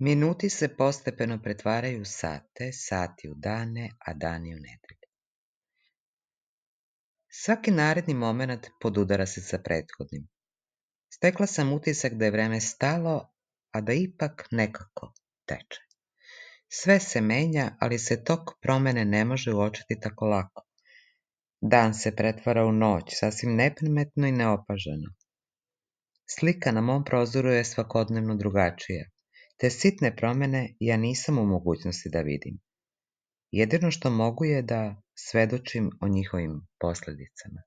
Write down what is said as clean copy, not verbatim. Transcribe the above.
Minuti se postepeno pretvaraju u sate, sati u dane, a dani u nedelje. Svaki naredni moment podudara se sa prethodnim. Stekla sam utisak da je vreme stalo, a da ipak nekako teče. Sve se menja, ali se tok promene ne može uočiti tako lako. Dan se pretvara u noć, sasvim neprimetno i neopaženo. Slika na mom prozoru je svakodnevno drugačija. Te sitne promene ja nisam u mogućnosti da vidim. Jedino što mogu je da svedočim o njihovim posledicama.